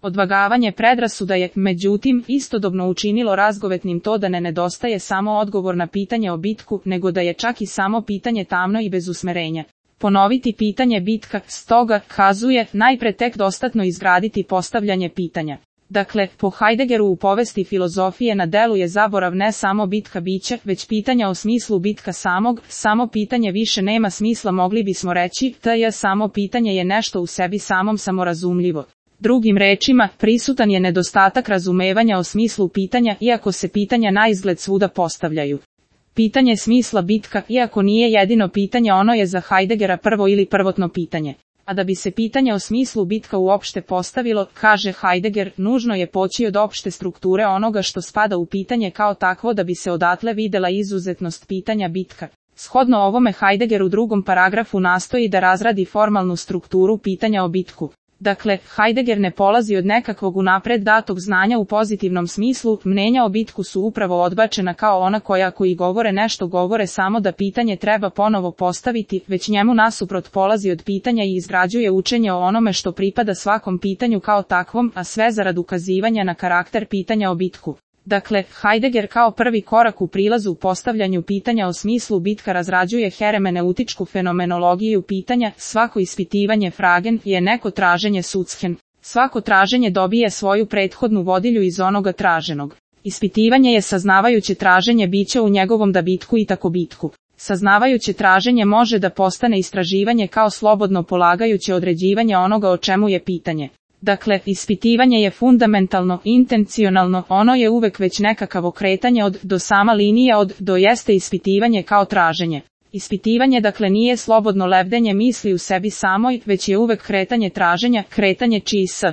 Odvagavanje predrasuda je, međutim, istodobno učinilo razgovetnim to da ne nedostaje samo odgovor na pitanje o bitku, nego da je čak i samo pitanje tamno i bez usmerenja. Ponoviti pitanje bitka, stoga, kazuje, najpre tek dostatno izgraditi postavljanje pitanja. Dakle, po Heideggeru u povesti filozofije na delu je zaborav ne samo bitka bića, već pitanja o smislu bitka samog, samo pitanje više nema smisla, mogli bismo reći, samo pitanje je nešto u sebi samom samorazumljivo. Drugim rečima, prisutan je nedostatak razumevanja o smislu pitanja, iako se pitanja naizgled svuda postavljaju. Pitanje smisla bitka, iako nije jedino pitanje, ono je za Heideggera prvo ili prvotno pitanje. A da bi se pitanje o smislu bitka uopšte postavilo, kaže Heidegger, nužno je poći od opšte strukture onoga što spada u pitanje kao takvo da bi se odatle videla izuzetnost pitanja bitka. Shodno ovome Heidegger u drugom paragrafu nastoji da razradi formalnu strukturu pitanja o bitku. Dakle, Heidegger ne polazi od nekakvog unapred datog znanja u pozitivnom smislu, mnenja o bitku su upravo odbačena kao ona koji govore nešto govore samo da pitanje treba ponovo postaviti, već njemu nasuprot polazi od pitanja i izgrađuje učenje o onome što pripada svakom pitanju kao takvom, a sve zarad ukazivanja na karakter pitanja o bitku. Dakle, Heidegger kao prvi korak u prilazu u postavljanju pitanja o smislu bitka razrađuje hermeneutičku fenomenologiju pitanja, svako ispitivanje fragen je neko traženje sudsken. Svako traženje dobije svoju prethodnu vodilju iz onoga traženog. Ispitivanje je saznavajuće traženje bića u njegovom da bitku i tako bitku. Saznavajuće traženje može da postane istraživanje kao slobodno polagajuće određivanje onoga o čemu je pitanje. Dakle, ispitivanje je fundamentalno, intencionalno, ono je uvek već nekakav okretanje od do, sama linija od do jeste ispitivanje kao traženje. Ispitivanje dakle nije slobodno lebdenje misli u sebi samoj, već je uvek kretanje traženja, kretanje čiji s